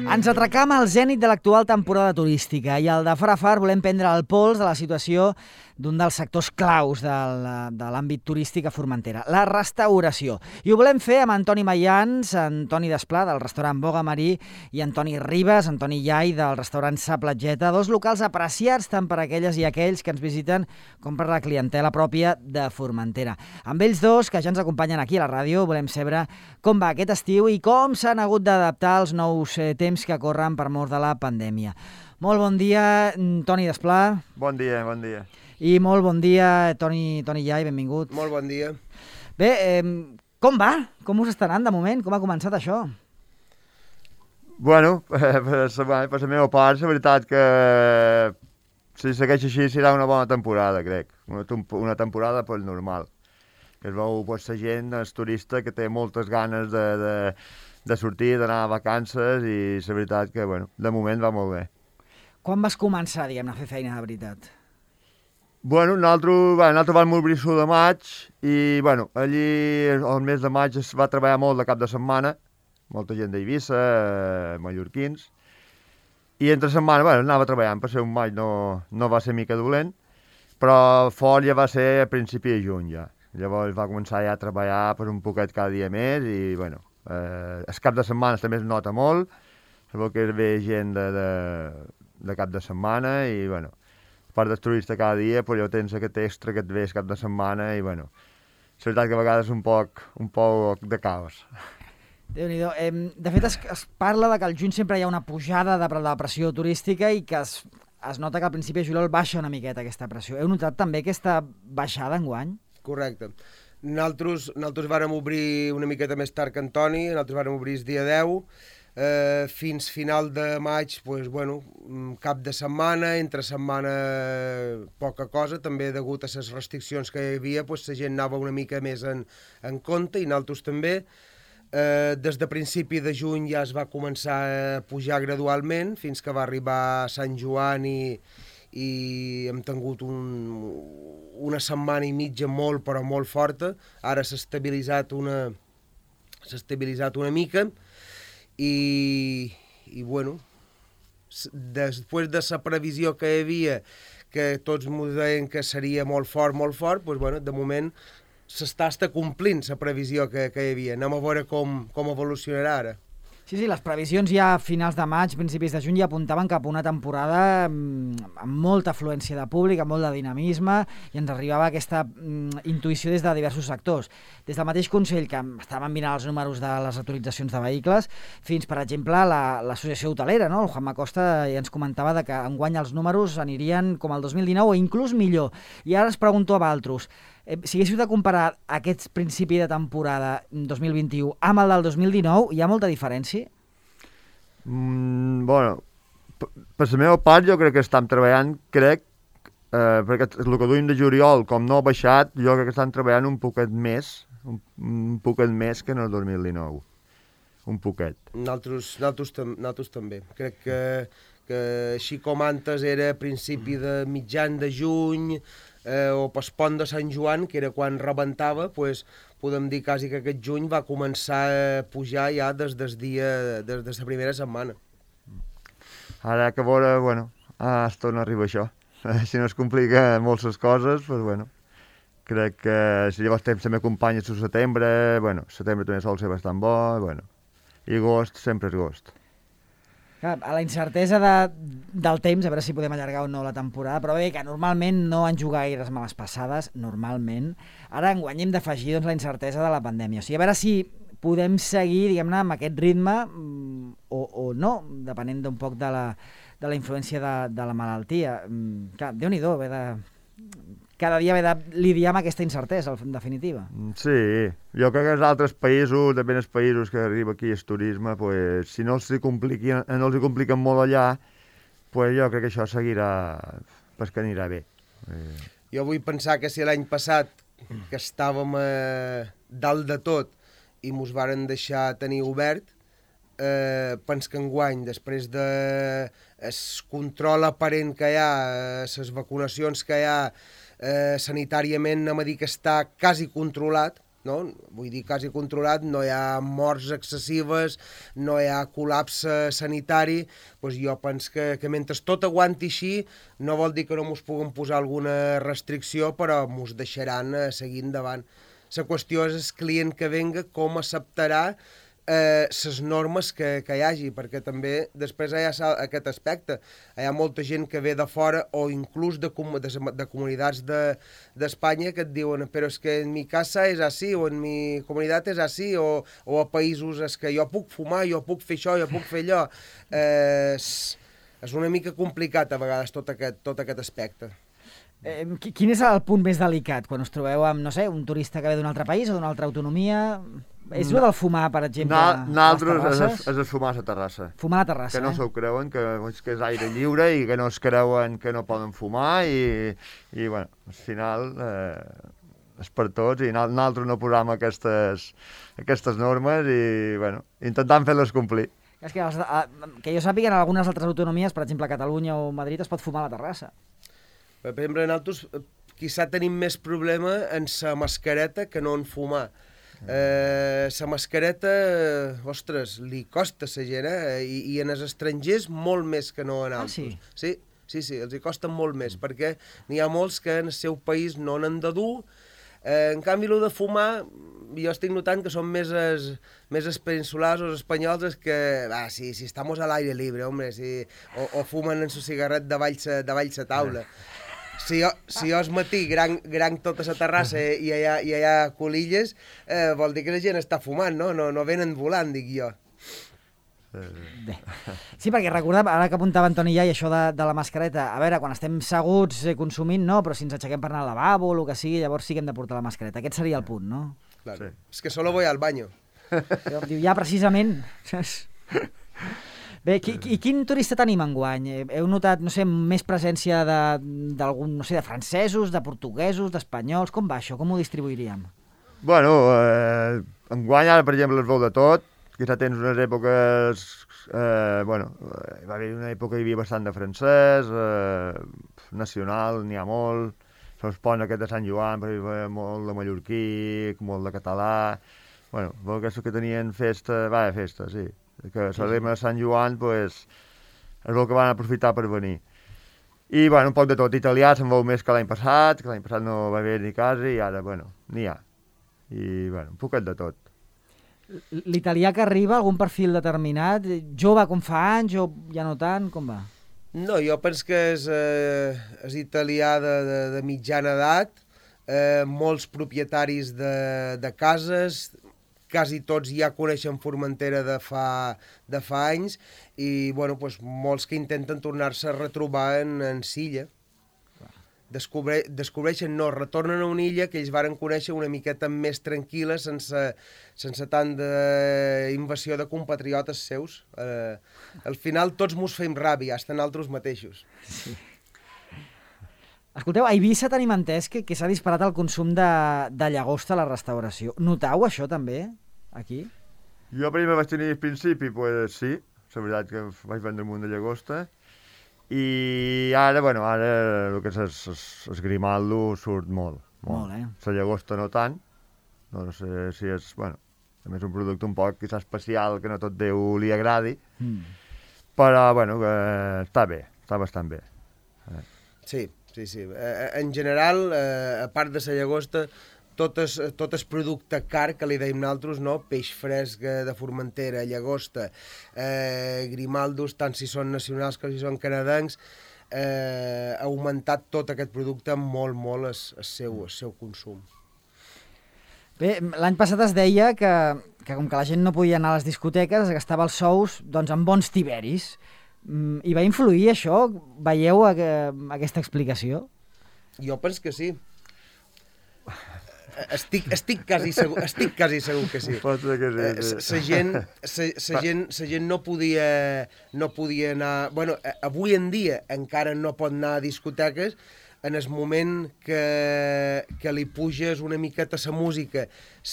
Ens atracam al zènit de l'actual temporada turística i al de far a far volem prendre el pols de la situació d'un dels sectors claus de l'àmbit turístic a Formentera, la restauració. I ho volem fer amb Antoni Mayans, Antoni Desplà, del restaurant Boga Marí, i Antoni Ribas, Antoni Iai, del restaurant Sa Platgeta, dos locals apreciats tant per aquelles i aquells que ens visiten com per la clientela pròpia de Formentera. Amb ells dos, que ja ens acompanyen aquí a la ràdio, volem saber com va aquest estiu i com s'han hagut d'adaptar als nous temps que corren per mort de la pandèmia. Molt bon dia, Toni Desplà. Bon dia, bon dia. I molt bon dia, Toni Iai, benvingut. Molt bon dia. Bé, com va? Com us està anant de moment? Com ha començat això? Bueno, per la meva part, la veritat que si segueix així serà una bona temporada, crec. Una temporada pues, normal. Que es veu pues, la gent, el turista, que té moltes ganes de sortir, d'anar a vacances i la veritat que, bueno, de moment va molt bé. Quan vas començar, diguem-ne, a fer feina de veritat? Bueno, nosaltres vam obrir l'1 de maig i, bueno, allí el mes de maig es va treballar molt de cap de setmana, molta gent d'Eivissa, mallorquins, i entre setmana, bueno, anava treballant, per ser un maig no va ser mica dolent, però fort ja va ser a principi de juny ja. Llavors va començar ja a treballar per un poquet cada dia més i, bueno, el cap de setmana també es nota molt, sabeu que ve gent de cap de setmana i, bueno, a part del turista cada dia, però ja tens aquest extra que et ve cap de setmana i, bueno, és veritat que a vegades és un poc de caos. Déu-n'hi-do. De fet, es parla de que al juny sempre hi ha una pujada de la pressió turística i que es nota que al principi de juliol baixa una miqueta aquesta pressió. Heu notat també aquesta baixada enguany? Correcte. Nosaltres vàrem obrir una miqueta més tard que Antoni, nosaltres vàrem obrir el dia 10, fins final de maig, pues, bueno, cap de setmana, entre setmana poca cosa, també degut a les restriccions que hi havia, pues, la gent anava una mica més en compte i nosaltres també. Des de principi de juny ja es va començar a pujar gradualment fins que va arribar Sant Joan i hem tingut una setmana i mitja molt però molt forta. Ara s'ha estabilitzat una mica i bueno, després de la previsió que hi havia, que tots m'ho deien que seria molt fort, doncs, bueno, de moment s'està complint la previsió que hi havia. Anem a veure com evolucionarà ara. Sí, les previsions ja a finals de maig, principis de juny, ja apuntaven cap a una temporada amb molta afluència de públic, amb molt de dinamisme, i ens arribava aquesta intuïció des de diversos sectors. Des del mateix Consell, que estaven mirant els números de les autoritzacions de vehicles, fins, per exemple, l'associació hotelera, no? El Juanma Costa ja ens comentava que enguany els números anirien com el 2019 o inclús millor. I ara es pregunto a vosaltres, si haguéssiu de comparar aquest principi de temporada 2021 amb el del 2019, hi ha molta diferència? Bueno, per la meva part jo crec que estem treballant, perquè el que duim de juliol, com no ha baixat, jo crec que estem treballant un poquet més que en el 2019. Un poquet. Nosaltres també. Crec que així com antes era a principi de mitjan de juny, o pel pont de Sant Joan, que era quan rebentava, doncs podem dir quasi que aquest juny va començar a pujar ja des de la primera setmana. Ara que veure, bueno, es torna a arribar això. Si no es complica molt les coses, doncs bueno, crec que si llavors temps també acompanya el setembre, bueno, setembre també sol ser bastant bo, bueno, i agost sempre és agost. A la incertesa del temps, a veure si podem allargar o no la temporada, però bé, que normalment no han jugat gaires males passades, normalment. Ara enguany hem d'afegir la incertesa de la pandèmia. O sigui, a veure si podem seguir, diguem-ne, amb aquest ritme o no, depenent d'un poc de la influència de la malaltia. Clar, Déu-n'hi-do, cada dia haver de lidiar amb aquesta incertesa, en definitiva. Sí, jo crec que els altres països, també els països que arriba aquí el turisme, pues, si no els hi compliquen molt allà, pues, jo crec que això seguirà, pues, que anirà bé. Jo vull pensar que si l'any passat, que estàvem dalt de tot i mos varen deixar tenir obert, pens que enguany, després del control aparent que hi ha, les vacunacions que hi ha, sanitàriament anem a dir que està quasi controlat, no? Vull dir, quasi controlat, no hi ha morts excessives, no hi ha col·lapse sanitari, doncs jo penso que mentre tot aguanti així, no vol dir que no mos puguem posar alguna restricció, però mos deixaran seguir endavant. La qüestió és el client que venga, com acceptarà les normes que hi hagi, perquè també després hi ha aquest aspecte. Hi ha molta gent que ve de fora o inclús de comunitats d'Espanya que et diuen però és que en mi casa és així o en mi comunitat és així o a països és que jo puc fumar, jo puc fer això, jo puc fer allò. És una mica complicat a vegades tot aquest aspecte. Quin és el punt més delicat quan us trobeu amb, no sé, un turista que ve d'un altre país o d'una altra autonomia? És el del fumar, per exemple, a les terrasses? És el fumar a la terrassa. Fumar a la terrassa, que no s'ho creuen, que és aire lliure i que no es creuen que no poden fumar i bueno, al final és per tots i nosaltres no posam aquestes normes i, bueno, intentant fer-les complir. És que jo sàpiga, en algunes altres autonomies, per exemple, a Catalunya o Madrid, es pot fumar a la terrassa. Per exemple, nosaltres quizà tenim més problema en la mascareta que no en fumar. La mascareta, ostres, li costa a la gent, i en els estrangers molt més que no en altres. Ah, sí? Sí, els hi costa molt més, perquè n'hi ha molts que en el seu país no n'han de dur. En canvi, el de fumar, jo estic notant que són més els peninsulars o els espanyols que, si estamos al aire libre, hombre, o fumen en su cigarret davall la taula. Si jo al matí gran tota la terrassa i hi ha colilles, vol dir que la gent està fumant, no venen volant, dic jo. Bé. Sí, perquè recordem, ara que apuntava Antoni ja, i això de la mascareta, a veure, quan estem seguts consumint, no, però si ens aixequem per anar al lavabo o el que sigui, llavors sí que hem de portar la mascareta. Aquest seria el punt, no? Claro. Sí. És que solo voy al baño. Diu, ja, precisament. Bé, i quin turista tenim enguany? Heu notat, no sé, més presència d'algun, no sé, de francesos, de portuguesos, d'espanyols? Com va això? Com ho distribuiríem? Bueno, enguany ara, per exemple, es veu de tot. Quizà tens unes èpoques... bueno, va haver una època que hi havia bastant de francès, nacional, n'hi ha molt. Els ponts aquest de Sant Joan, però hi havia molt de mallorquí, molt de català. Bueno, aquests que tenien festa, sí. Que celebren a Sant Joan, pues, és el que van aprofitar per venir. I, bueno, un poc de tot. Italià se'n veu més que l'any passat no va haver ni quasi, i ara, bueno, n'hi ha. I, bueno, un poquet de tot. L'italià que arriba, algun perfil determinat? Jove com fa anys o ja no tant? Com va? No, jo penso que és italià de mitjana edat, molts propietaris de cases, quasi tots ja coneixen Formentera de fa anys i bueno, pues, molts que intenten tornar-se a retrobar en Silla. Descobreixen, retornen a una illa que ells varen conèixer una miqueta més tranquil·la, sense tant d'invasió de compatriotes seus. Al final tots mos fem ràbia, fins nosaltres mateixos. Sí. Escolteu, a Eivissa tenim entès que s'ha disparat el consum de llagosta a la restauració. Notau això també, aquí? Jo primer vaig tenir al principi, pues sí, la veritat que vaig vendre un munt de llagosta, i ara, bueno, el que és el grimaldo surt molt. Molt, La llagosta no tant, no sé si és, bueno, també és un producte un poc quizà especial, que no tot Déu li agradi, però, bueno, està bé, està bastant bé. Sí. En general, a part de la llagosta, tot el producte car que li deim nosaltres, no? Peix fresc de Formentera, llagosta, grimaldos, tant si són nacionals com si són canadencs, ha augmentat tot aquest producte molt el seu consum. Bé, l'any passat es deia que com que la gent no podia anar a les discoteques, es gastava els sous doncs, en bons tiberis. I va influir això? Veieu aquesta explicació? Jo penso que sí. Estic quasi segur que sí. Pot ser que sí. La gent no podia anar... Bueno, avui en dia encara no pot anar a discoteques. En el moment que li puges una miqueta la música,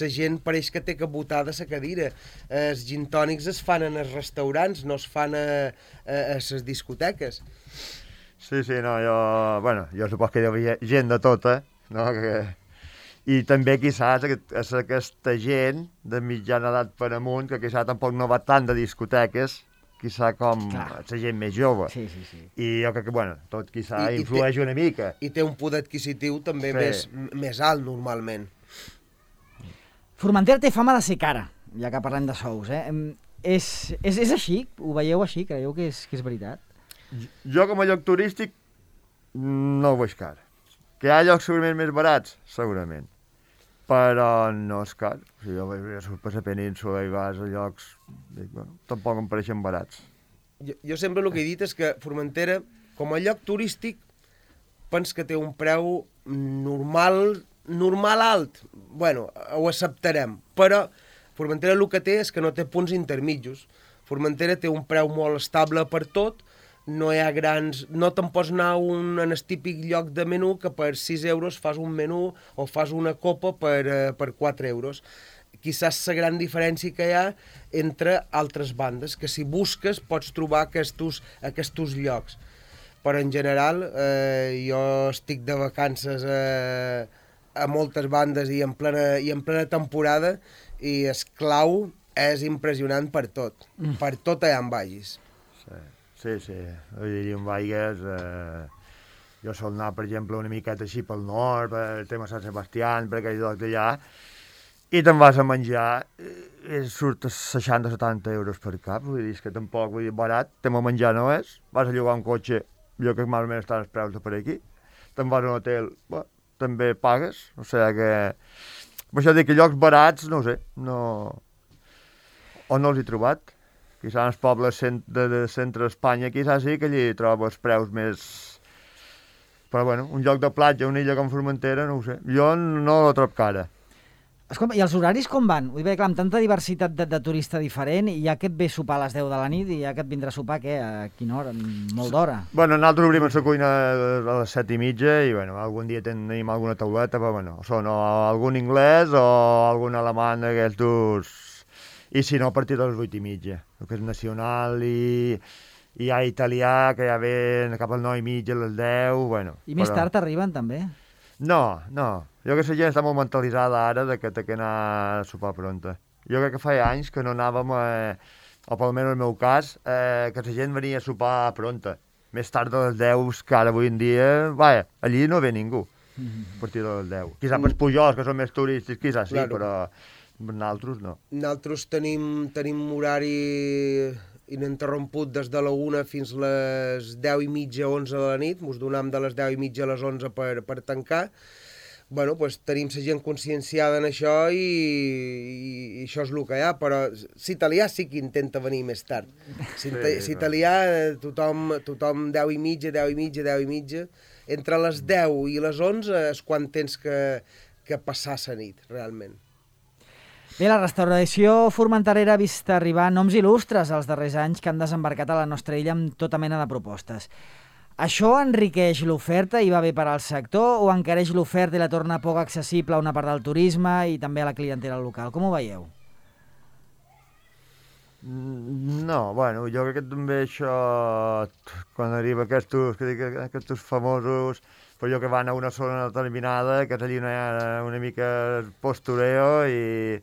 la gent pareix que té que botar de la cadira. Els gin tònics es fan en els restaurants, no es fan a les discoteques. Sí, no, jo suposo que hi havia gent de tota, no? I també, quizás, és aquesta gent de mitjana edat per amunt, que quizás tampoc no va tant de discoteques, quizá com la gent més jove. Sí. I jo crec que, bueno, tot quizá influeix una mica. I té un poder adquisitiu també més alt, normalment. Formentera té fama de ser cara, ja que parlem de sous, eh? És així? Ho veieu així? Creieu que és veritat? Jo, com a lloc turístic, no ho veig car. Que hi ha llocs segurament més barats? Segurament. Però no és car. O sigui, jo surto per la península i vas a llocs... Dic, bueno, tampoc em pareixen barats. Jo sempre el que he dit és que Formentera, com a lloc turístic, pens que té un preu normal alt. Bueno, ho acceptarem. Però Formentera el que té és que no té punts intermitjos. Formentera té un preu molt estable per tot, no hi ha grans... No te'n pots anar en el típic lloc de menú que per 6 euros fas un menú o fas una copa per 4 euros. Quizás la gran diferència que hi ha entre altres bandes, que si busques pots trobar aquests llocs. Però en general jo estic de vacances a moltes bandes i en plena temporada i el clau és impressionant per tot. Per tot allà en vagis. Sí. Vull dir, on vaigues... Jo sol anar, per exemple, una miqueta així pel nord, per el tema Sant Sebastià, per aquell lloc d'allà, i te'n vas a menjar, surt a 60-70 euros per cap, vull dir, que tampoc, vull dir, barat, tema menjar no és, vas a llogar un cotxe, jo que més o menys estan els preus de per aquí, te'n vas a un hotel, també pagues, o sigui que... Per això dic que llocs barats, no ho sé, no... O no els he trobat. Quizás en els pobles de centre d'Espanya, quizás sí que allí trobes preus més... Però bueno, un lloc de platja, una illa com Formentera, no ho sé. Jo no la trobo cara. Escolta, i els horaris com van? Vull dir, clar, amb tanta diversitat de turista diferent, i ja que et ve a sopar a les 10 de la nit, i ja que et vindrà a sopar, què? A quina hora? Molt d'hora? Bueno, nosaltres obrim la cuina a les 7:30 i, bueno, algun dia tenim alguna tauleta, però, bueno, són o algun anglès o algun alemany d'aquestos... I si no, a partir de les 8:30, el que és nacional, i hi ha italià, que ja ven cap al 9:30, a les 10, bueno... I més tard arriben, també? No. Jo crec que la gent està molt mentalitzada ara de que té que anar a sopar pronta. Jo crec que fa anys que no anàvem, o per almenys en el meu cas, que la gent venia a sopar pronta. Més tard de les 10, que ara avui en dia, vaja, allí no ve ningú, a partir de les 10. Quizà pels Pujols, que són més turístics, quizà sí, claro. Però... Nosaltres no. Nosaltres tenim horari ininterromput des de la 1 fins les 10:30, 11 de la nit. Ens donem de les 10:30 a les 11 per tancar. Bueno, pues, tenim la gent conscienciada en això i això és el que hi ha, però l'italià sí que intenta venir més tard. L'italià, tothom 10:30, entre les 10 i les 11 és quan tens que passar la nit, realment. Bé, la restauració formenterera ha vist arribar noms il·lustres els darrers anys que han desembarcat a la nostra illa amb tota mena de propostes. Això enriqueix l'oferta i va bé per al sector o encareix l'oferta i la torna poc accessible a una part del turisme i també a la clientela local? Com ho veieu? No, bueno, jo crec que també això, quan arriba aquests famosos, però jo que van a una zona determinada, que és allí una mica postureo i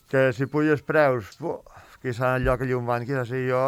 que si puges preus, quizà en el lloc allà on van, quizà si jo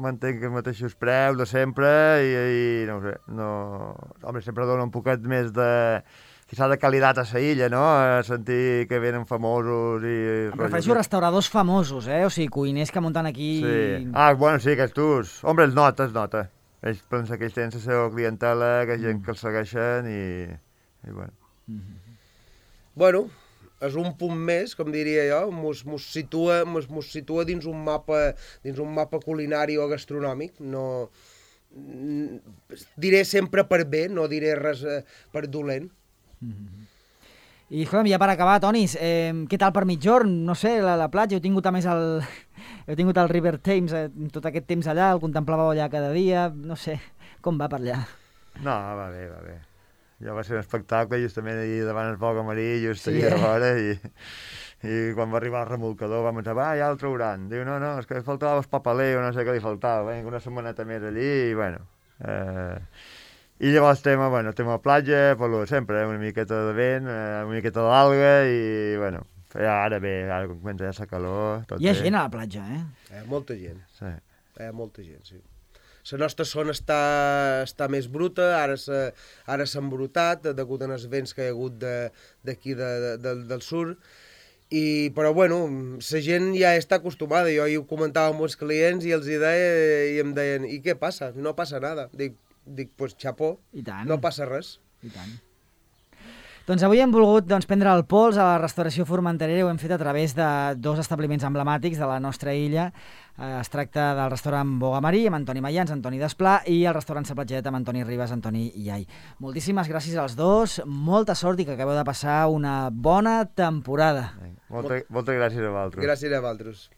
mantenc els mateixos preus de sempre i no ho sé, home, sempre dona un poquet més quizà de qualitat a la illa, no? A sentir que venen famosos i... Em refereixo a restauradors famosos, o sigui, cuiners que munten aquí... Sí. Bueno, sí, aquests... Home, es nota. Ells pensen que ells tenen la seva clientela, que hi ha gent que els segueixen i bueno. Bueno, és un punt més, com diria jo, mos situa dins un mapa culinari o gastronòmic. No, diré sempre per bé, no diré res per dolent. I escolta'm, ja per acabar, Tonis, què tal per mitjorn? No sé, la platja, heu tingut a més el River Thames tot aquest temps allà, el contemplàveu allà cada dia, no sé, com va per allà? No, va bé. Ja va ser un espectacle, justament allà davant el foc amarí, just allà a fora, i quan va arribar el remolcador vam pensar, ja el trauran. Diu, no, és que faltava el papaleo, no sé què li faltava, una setmaneta més allí, i bueno... I llavors tema platja, per lo de sempre, una miqueta de vent, una miqueta d'alga i, bueno, ara bé, ara quan comença ja la calor... Hi ha gent a la platja, Molta gent. Sí. Molta gent, sí. La nostra zona està més bruta, ara s'ha embrutat, degut als vents que hi ha hagut d'aquí del sud, però bueno, la gent ja està acostumada. Jo ho comentava amb els clients i els hi deia i em deien, i què passa? No passa nada. Dic, pues xapó, no passa res. I tant. Doncs avui hem volgut prendre el pols a la restauració formenterera i ho hem fet a través de dos establiments emblemàtics de la nostra illa. Es tracta del restaurant Bogamarí amb Antoni Mayans, Antoni Desplà, i el restaurant Sa Platgeta amb Antoni Ribas, Antoni Iai. Moltíssimes gràcies als dos, molta sort i que acabeu de passar una bona temporada. Moltes gràcies a vosaltres. Gràcies a vosaltres.